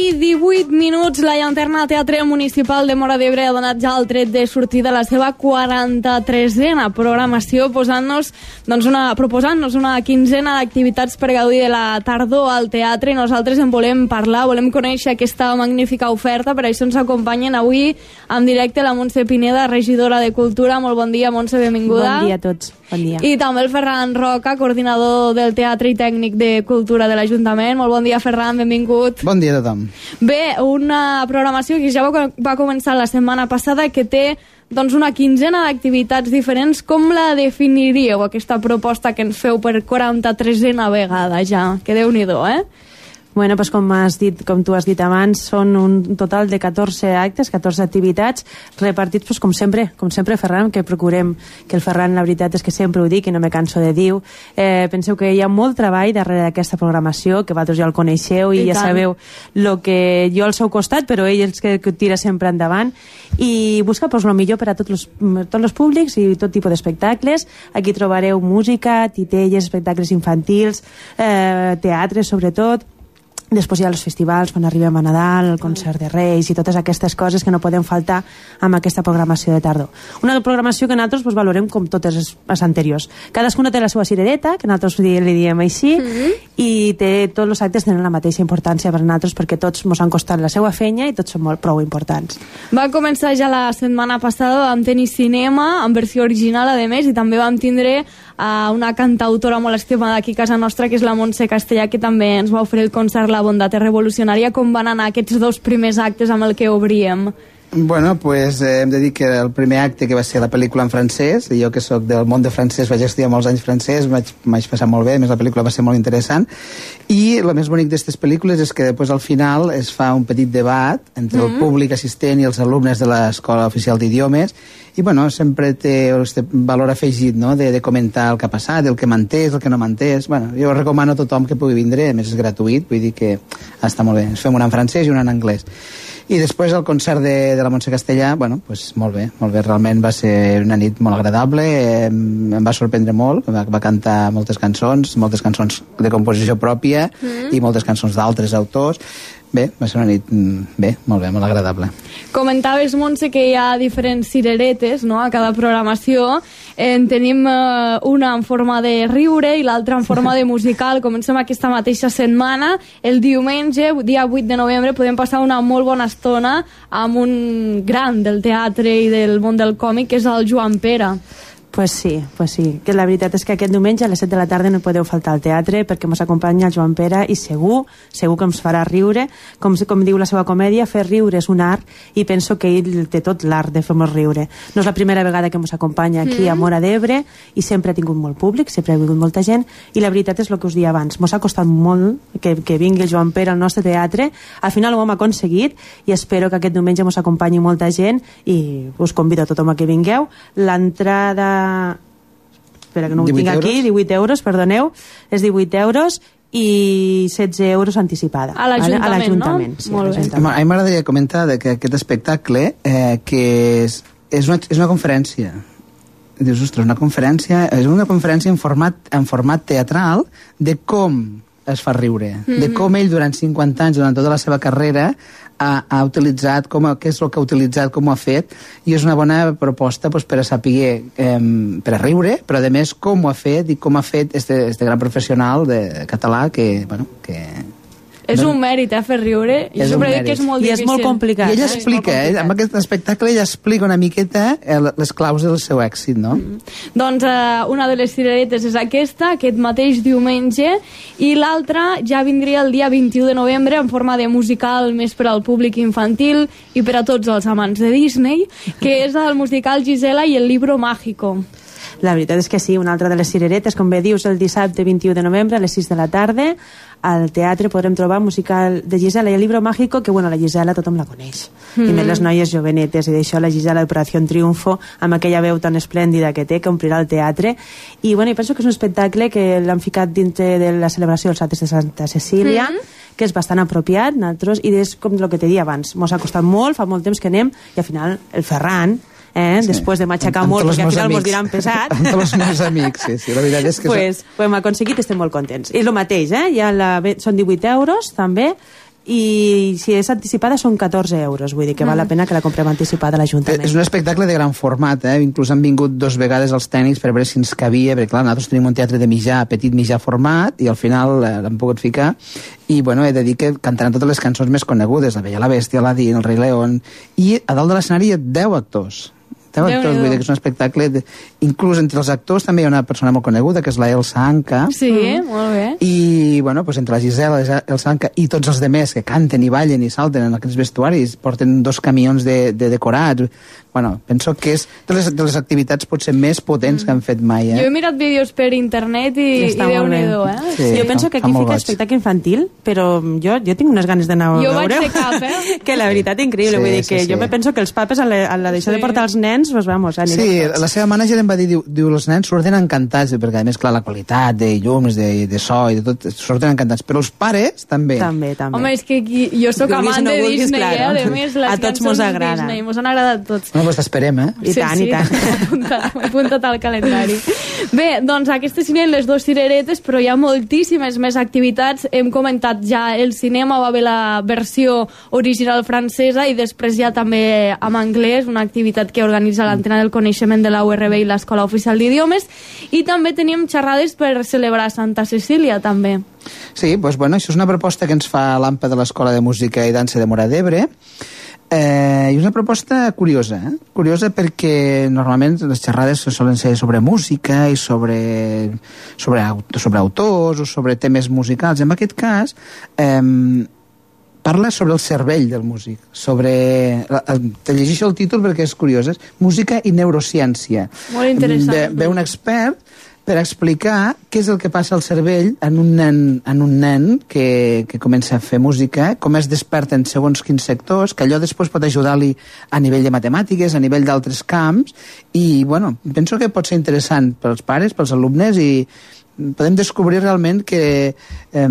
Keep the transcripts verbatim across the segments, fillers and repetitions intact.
i divuit minuts, la Llanterna Teatre Municipal de Móra d'Ebre ha donat ja el tret de sortida a la seva quaranta-tresena programació, posant-nos, doncs una, proposant-nos una quinzena d'activitats per gaudir de la tardor al teatre, i nosaltres en volem parlar, volem conèixer aquesta magnífica oferta. Per això ens acompanyen avui en directe la Montse Pineda, regidora de Cultura. Molt bon dia, Montse, benvinguda. Bon dia a tots. Bon dia. I també el Ferran Roca, coordinador del Teatre i Tècnic de Cultura de l'Ajuntament. Molt bon dia, Ferran, benvingut. Bon dia a tothom. Bé, una programació que ja va, va començar la setmana passada, que té doncs, una quinzena d'activitats diferents. Com la definiríeu, aquesta proposta que ens feu per quaranta-tresena vegada ja? Que Déu-n'hi-do, eh? Bueno, pues com has dit, com tu has dit abans, són un total de catorze actes, catorze activitats, repartits, pues, com sempre, com sempre, Ferran, que procurem, que el Ferran, la veritat és que sempre ho dic i no me canso de dir. Eh, penseu que hi ha molt treball darrere d'aquesta programació, que vosaltres ja el coneixeu i, I ja tant. Sabeu el que jo al seu costat, però ell és que, que tira sempre endavant, i busca pues, el millor per a tots els, tots els públics i tot tipus d'espectacles. Aquí trobareu música, titelles, espectacles infantils, eh, teatre, sobretot. Després hi ha els festivals, quan arribem a Nadal, el concert de Reis i totes aquestes coses que no poden faltar amb aquesta programació de tardor. Una programació que nosaltres pues, valorem com totes les anteriors. Cadascuna té la seva cirereta, que nosaltres li diem així, mm-hmm. i té, tots els actes tenen la mateixa importància per nosaltres, perquè tots ens han costat la seva feina i tots són molt prou importants. Va començar ja la setmana passada, vam tenir cinema en versió original, a més, i també vam tindre uh, una cantautora molt estimada aquí a casa nostra, que és la Montse Castellà, que també ens va oferir el concert La bondat és revolucionària. Com van anar aquests dos primers actes amb el que obríem? Bueno, pues eh, hem de dir que el primer acte, que va ser la pel·lícula en francès, i jo que sóc del món de francès, vaig estudiar molts anys francès, vaig, vaig passar molt bé, a més la pel·lícula va ser molt interessant, i el més bonic d'aquestes pel·lícules és que després al final es fa un petit debat entre mm-hmm. el públic assistent i els alumnes de l'Escola Oficial d'Idiomes, i bueno, sempre té este valor afegit, no?, de, de comentar el que ha passat, el que m'ha entès, el que no m'ha entès. Bueno, jo recomano a tothom que pugui vindre, a més és gratuït, vull dir que està molt bé. Ens fem una en francès i una en anglès. I després el concert de, de la Montse Castellà, bueno, pues molt bé, molt bé, realment va ser una nit molt agradable, eh, em va sorprendre molt, va, va cantar moltes cançons, moltes cançons de composició pròpia mm. i moltes cançons d'altres autors. Bé, va ser una nit bé, molt bé, molt agradable. Comentaves, Montse, que hi ha diferents cireretes, no?, a cada programació. En tenim eh, una en forma de riure i l'altra en forma de musical. Comencem aquesta mateixa setmana. El diumenge, dia vuit de novembre, podem passar una molt bona estona amb un gran del teatre i del món del còmic, que és el Joan Pera. Pues sí, pues sí, que la veritat és que aquest diumenge a les set de la tarda no podeu faltar al teatre, perquè ens acompanya el Joan Pera i segur, segur que ens farà riure. Com, com diu la seva comèdia, fer riure és un art, i penso que ell té tot l'art de fer-nos riure. No és la primera vegada que ens acompanya aquí mm. a Móra d'Ebre, i sempre ha tingut molt públic, sempre ha vingut molta gent, i la veritat és el que us dia abans, ens ha costat molt que, que vingui el Joan Pera al nostre teatre. Al final ho hem aconseguit, i espero que aquest diumenge ens acompanyi molta gent, i us convido a tothom a que vingueu. L'entrada, espera que no ho tinc aquí, divuit euros, perdoneu, és divuit euros i setze euros anticipada. A l'Ajuntament, no? Sí, molt bé. A mi m'agradaria comentar que aquest espectacle, eh, que és, és, una, és una conferència. Dius, ostres, una conferència, és una conferència en format, en format teatral de com es fa riure, mm-hmm. de com ell durant cinquanta anys, durant tota la seva carrera, ha, ha utilitzat, com, què és el que ha utilitzat, com ho ha fet, i és una bona proposta pues, per a saber, eh, per a riure, però a més com ho ha fet i com ha fet este, este gran professional de català que, bueno, que... És un mèrit, eh, fer riure. Jo sempre dic que és molt difícil. I és molt complicat. I ell explica, eh, amb aquest espectacle ell explica una miqueta les claus del seu èxit, no? Mm. Doncs eh, una de les cireretes és aquesta, aquest mateix diumenge, i l'altra ja vindria el dia vint-i-u de novembre en forma de musical més per al públic infantil i per a tots els amants de Disney, que és el musical Gisela i el libro mágico. La veritat és que sí, una altra de les cireretes, com bé dius, el dissabte vint-i-u de novembre a les sis de la tarda al teatre podrem trobar musical de Gisela i el libro mágico, que bueno, la Gisela tothom la coneix, mm. i més les noies jovenetes, i d'això la Gisela d'Operació Triunfo, amb aquella veu tan esplèndida que té, que omplirà el teatre, i bueno, i penso que és un espectacle que l'han ficat dintre de la celebració dels actes de Santa Cecília, mm. que és bastant apropiat, nosaltres, i és com el que te dia abans, mos ha costat molt, fa molt temps que anem, i al final el Ferran eh? Sí. Després de matxacar molt, perquè al final mos diran pesat. Amb tots els meus amics, sí, sí, la veritat és que... Pues, ho hem aconseguit, estem molt contents. I el mateix, eh? Ja la, són divuit euros, també, i si és anticipada són catorze euros, vull dir que val la pena que la comprem anticipada a l'Ajuntament. És un espectacle de gran format, eh? Inclús han vingut dos vegades els tècnics per veure si ens cabia, perquè clar, nosaltres tenim un teatre de mitjà, petit mitjà format, i al final eh, l'hem pogut ficar, i bueno, he de dir que cantaran totes les cançons més conegudes, La Bella i la Bèstia, Aladín, El Rei León, i a dalt de l'escenari hi ha deu actors. Actors, vull dir que és un espectacle de... inclús entre els actors també hi ha una persona molt coneguda que és la Elsa Anca. Sí, mm. molt bé. I bueno, pues entre la Gisela, Elsa Anca i tots els demés que canten i ballen i salten en aquests vestuaris, porten dos camions de, de decorats. Bueno, penso que és de les, de les activitats potser més potents mm. que han fet mai, eh? Jo he mirat vídeos per internet i, i Déu-n'hi-do, eh? Sí, jo penso que aquí fica espectacle infantil, però jo, jo tinc unes ganes d'anar a jo veure. Jo vaig de cap, eh? Que la veritat increïble, sí, vull dir que sí, jo sí. me penso que els papes a la, a la d'això sí. de portar els nens, pues vamos, anirem sí, tots. La seva mànager em va dir, diu, diu els nens surten encantats, perquè a més, clar, la qualitat de llums, de, de so i de tot, surten encantats, però els pares també. També, també. Home, és que aquí, jo sóc amant no de vulguis, Disney, claro. eh? A més, les a tots mos agrada. Disney, mos han agradat tots. Bueno, pues t'esperem, eh? I sí, tant, sí, i tant. M'he apuntat al calendari. Bé, doncs aquestes serien les dues cireretes, però hi ha moltíssimes més activitats. Hem comentat ja el cinema, va haver la versió original francesa i després ja també en anglès, una activitat que organitza l'Antena del Coneixement de la U R B i l'Escola Oficial d'Idiomes, i també tenim xerrades per celebrar Santa Cecília, també. Sí, doncs bueno, això és una proposta que ens fa l'A M P A de l'Escola de Música i Dansa de Móra d'Ebre. Eh, és una proposta curiosa, eh? Curiosa perquè normalment les xerrades solen ser sobre música i sobre, sobre, sobre autors o sobre temes musicals. En aquest cas, eh, parla sobre el cervell del músic, sobre... Te llegeixo el títol perquè és curiós, és Música i Neurociència. Molt interessant. Ve, ve un expert per explicar què és el que passa al cervell en un nen, en un nen que, que comença a fer música, com es desperta en segons quins sectors, que allò després pot ajudar-li a nivell de matemàtiques, a nivell d'altres camps, i bueno, penso que pot ser interessant pels pares, pels alumnes, i podem descobrir realment que eh,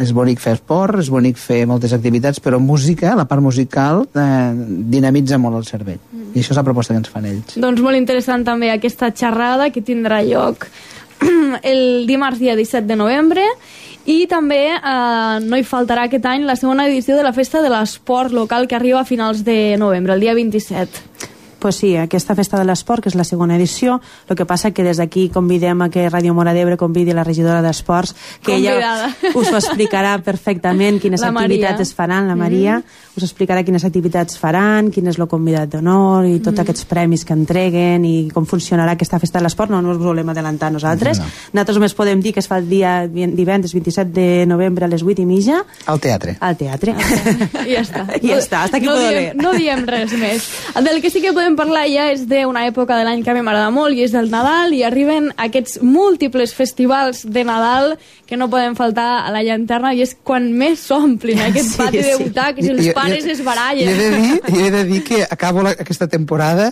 és bonic fer esport, és bonic fer moltes activitats, però música, la part musical, eh, dinamitza molt el cervell. Mm. I això és la proposta que ens fan ells. Doncs molt interessant també aquesta xerrada que tindrà lloc el dimarts dia disset de novembre, i també eh, no hi faltarà aquest any la segona edició de la Festa de l'Esport local que arriba a finals de novembre, el dia vint-i-set. Pues sí, aquesta Festa de l'Esport, que és la segona edició, el que passa que des d'aquí convidem a que Ràdio Móra d'Ebre convidi la regidora d'Esports, que Convidada. ella us ho explicarà perfectament quines la activitats Maria. es faran, la Maria, mm-hmm. us explicarà quines activitats faran, quin és el convidat d'honor i tots mm-hmm. aquests premis que entreguen i com funcionarà aquesta Festa de l'Esport. No, no us volem adelantar nosaltres. No, no. Nosaltres només podem dir que es fa el dia divendres vint-i-set de novembre a les vuit i mitja. Al teatre. Al teatre. I ja està. I ja està, hasta aquí no puedo diem, leer. No diem res més. Del que sí que podem parlar ja és d'una època de l'any que a mi m'agrada molt, i és del Nadal, i arriben aquests múltiples festivals de Nadal que no poden faltar a la llanterna, i és quan més s'omplin aquest sí, pati de sí. butaques i els jo, pares jo, es barallen. Jo he de dir, jo he de dir que acabo la, aquesta temporada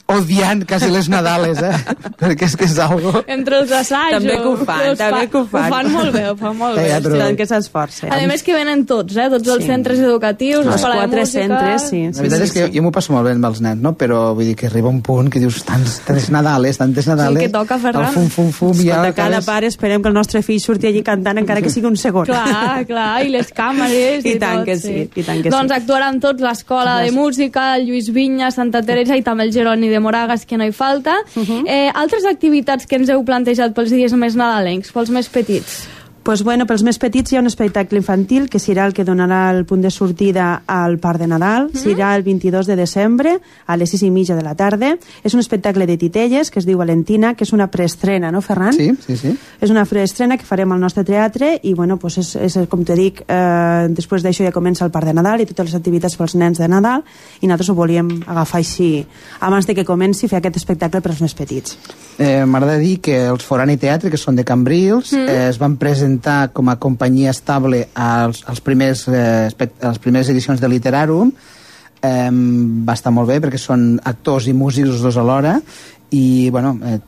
odiant quasi les Nadales, eh? Perquè és que és algo... Entre els assajos... També que ho fan, també que ho fan. Ho fan molt bé, ho fan molt bé. Ja, però... que s'esforcen. A més que venen tots, eh? Tots els sí. centres educatius, els l'escola de quatre música... centres, sí. La veritat sí, és que sí. jo, jo m'ho passo molt bé amb els nens, no? Però vull dir que arriba un punt que dius tants, tants Nadales, tantes Nadales... Sí, que toca, Ferran. El fum, fum, fum... Ja ja cada pare esperem que el nostre fill surti allí cantant encara que sigui un segon. Clar, clar, i les càmeres i, I tant tot, que sí, sí. i tant que doncs sí. actuaran tots l'Escola de Música, el Lluís Vinya, Santa Teresa i també el Jeroni de Moragas, que no hi falta. Uh-huh. eh, altres activitats que ens heu plantejat pels dies més nadalencs, pels més petits? Pues bueno, pels més petits hi ha un espectacle infantil que serà el que donarà el punt de sortida al Parc de Nadal. Mm-hmm. Serà el vint-i-dos de desembre a les sis i mitja de la tarda. És un espectacle de titelles que es diu Valentina, que és una preestrena, no, Ferran? Sí, sí, sí. És una preestrena que farem al nostre teatre i, bueno, pues és, és com te dic, eh, després d'això ja comença el Parc de Nadal i totes les activitats pels nens de Nadal, i nosaltres ho volíem agafar així, abans de que comenci, fer aquest espectacle per als més petits. Eh, M'agrada dir que els Forani Teatre, que són de Cambrils, mm. eh, es van presentar com a companyia estable als, als primers, eh, a les primeres edicions de Literàrum. Eh, va estar molt bé perquè són actors i músics els dos alhora, i bueno, eh,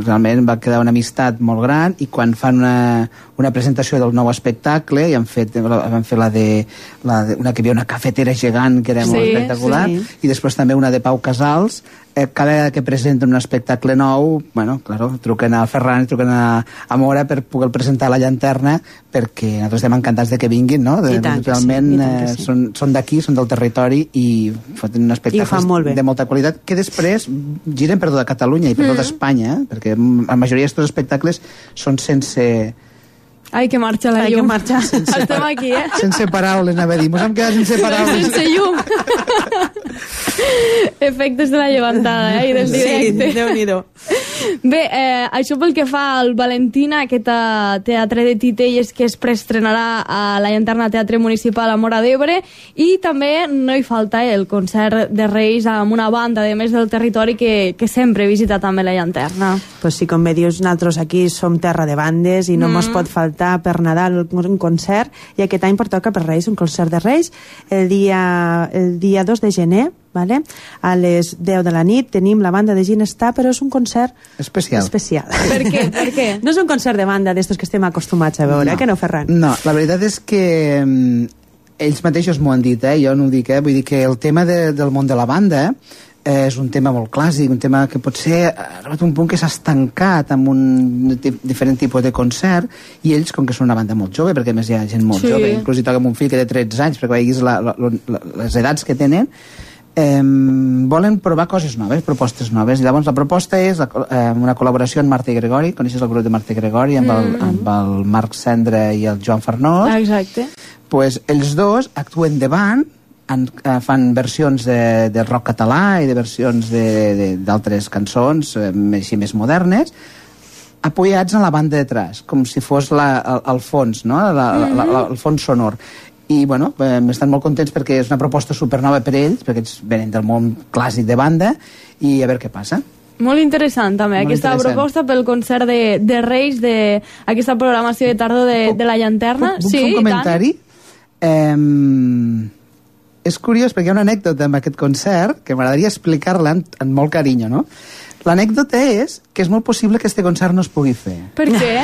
realment va quedar una amistat molt gran, i quan fan una, una presentació del nou espectacle, i han fet, van fer la de, la de una que hi havia una cafetera gegant que era sí, molt espectacular, sí. i després també una de Pau Casals, eh, cada vegada que presenten un espectacle nou, bueno, claro, truquen al Ferran i truquen a, a Mora per poder presentar la llanterna, perquè nosaltres estem encantats de que vinguin, no? De, I tant que realment sí, i tant que sí. eh, són, són d'aquí, són del territori i fan un espectacle de molta qualitat que després giren per tota Catalunya i per tota Espanya, eh? Perquè la majoria d'aquests espectacles són sense... Ai, que marxa la Ai, llum. que marxa. Estem aquí, eh? Sense paraules, anava a dir. Mos hem quedat sense paraules. Sense llum. Efectes de la llevantada, eh? I del directe. Sí, Déu-n'hi-do. Bé, eh, això pel que fa al Valentina, aquest teatre de titelles que es preestrenarà a la Llanterna Teatre Municipal a Móra d'Ebre, i també no hi falta el concert de Reis amb una banda, de més del territori, que, que sempre visita també la Llanterna. Pues sí, com bé dius, nosaltres aquí som terra de bandes i no mm. mos pot faltar per Nadal un concert, i aquest any pertoca per Reis un concert de Reis el dia, el dia dos de gener, vale? A les deu de la nit tenim la banda de Ginestar, però és un concert especial. especial. Per què? Per què? No és un concert de banda d'estos que estem acostumats a veure, no. Eh, que no, Ferran? No, la veritat és que um, ells mateixos m'ho han dit, eh? Jo no ho dic, eh? Vull dir que el tema de, del món de la banda eh, és un tema molt clàssic, un tema que potser ha arribat un punt que s'ha estancat amb un diferent tipus de concert, i ells, com que són una banda molt jove, perquè a més hi ha gent molt sí. jove, inclús hi toca amb un fill que té tretze anys, perquè veiguis la, la, la, les edats que tenen, eh, volen provar coses noves, propostes noves, i llavors la proposta és la, eh, una col·laboració amb Marta i Gregori. Coneixes el grup de Marta i Gregori, amb, el, mm. amb el Marc Cendra i el Joan Farnós? Exacte. Pues ells dos actuen de band, en, eh, fan versions de, de rock català i de versions d'altres cançons eh, així més modernes, apoyats en la banda de detrás, com si fos la, el, el fons, no? la, la, la, la, el fons sonor. I bueno, eh, estan molt contents perquè és una proposta supernova per ells, perquè ells venen del món clàssic de banda, i a veure què passa. Molt interessant també, molt aquesta interessant. Proposta pel concert de, de Reis, d'aquesta programació de tardor de, de la Llanterna. Puc, puc sí, fer un comentari? Eh, és curiós perquè hi ha una anècdota amb aquest concert que m'agradaria explicar-la en, en molt carinyo, no? L'anècdota és que és molt possible que este concert no es pugui fer. Per què?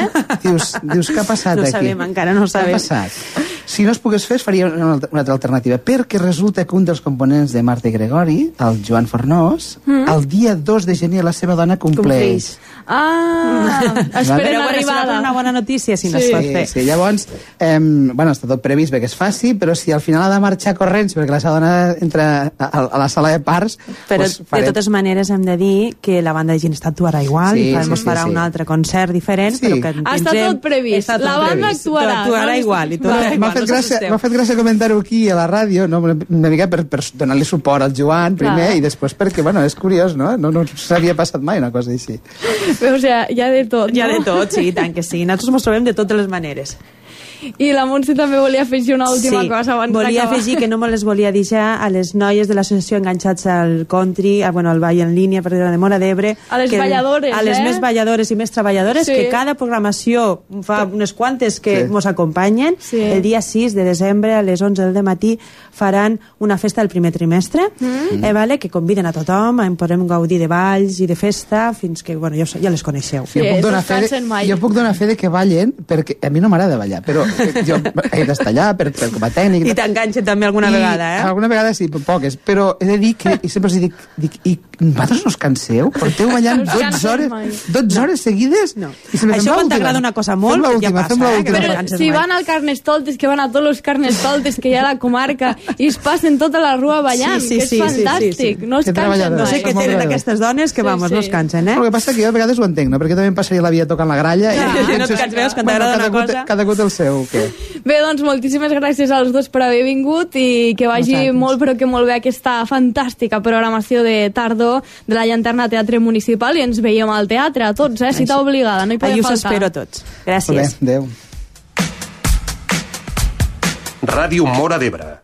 Dius, dius què ha passat no aquí? No sabem, encara no ho sabem. Què ha passat? Si no es pogués fer, es faria una, una altra alternativa, perquè resulta que un dels components de Marta i Gregori, el Joan Fornós, mm. el dia dos de gener la seva dona compleix. Ah, esperen vale? l'arribada. Una bona notícia, si sí. no es pot fer. Sí, sí. Llavors, eh, bueno, està tot previst perquè es faci, però si al final ha de marxar corrents perquè la seva dona entra a, a la sala de parts... Però pues, de totes maneres hem de dir que la banda de Ginestar actuarà igual, sí, i farà, sí, sí, farà sí. un altre concert diferent, sí. però que ha estat tot previst. Tot la banda previst. actuarà. Actuarà no? igual. I tot M'ha igual, fet, no gràcia, fet gràcia comentar-ho aquí a la ràdio, no? una mica per, per donar-li suport al Joan primer, clar. I després perquè, bueno, és curiós, no? No, no s'havia passat mai una cosa així. Però, o sigui, hi ha de tot, no? Hi ha de tot, sí, tant que sí. Nosaltres ens trobem de totes les maneres. I la Montse també volia afegir una última sí, cosa abans volia d'acabar. afegir que no me les volia deixar a les noies de l'associació Enganxats al Country, a, bueno, al Ball en línia per de Móra d'Ebre, a les que, balladores, a les eh? més balladores i més treballadores, sí. que cada programació fa unes quantes que sí. mos acompanyen. Sí. El dia sis de desembre a les onze del matí faran una festa del primer trimestre, mm. eh, vale? que conviden a tothom, en podrem gaudir de balls i de festa fins que, bueno, ja, ja les coneixeu. Sí, jo, puc donar fe de, jo puc donar fe de que ballen, perquè a mi no m'agrada ballar, però jo he d'estar allà per, per, com a tècnic. I t'enganxa també alguna I, vegada, eh? Alguna vegada sí, poques, però he de dir que i sempre els dic, dic, i vosaltres no us canseu? Porteu ballant dotze hores, dotze hores seguides? No. I això quan t'agrada una cosa molt, ja passa, eh? Però si van al Carnestoltes, que van a tots els Carnestoltes que hi ha a la comarca i es passen tota la rua ballant, sí, sí, que és sí, fantàstic, sí, sí, sí. no es cansen no sé què tenen aquestes dones que, vamos, sí, sí. no es cansen, eh? El que passa que jo a vegades ho entenc, no? Perquè també em passaria la vida tocant la gralla ja. i no et canses, veus, quan t'agrada una cosa... Cada gut el seu, què? Bé, doncs moltíssimes gràcies als dos per haver vingut i que vagi Nosaltres. molt, però que molt bé aquesta fantàstica programació de tardor de la Llanterna Teatre Municipal, i ens veiem al teatre a tots, eh? Cita obligada, no hi podem faltar. Allà us espero a tots. Gràcies. Bé, adéu. Ràdio Móra d'Ebre.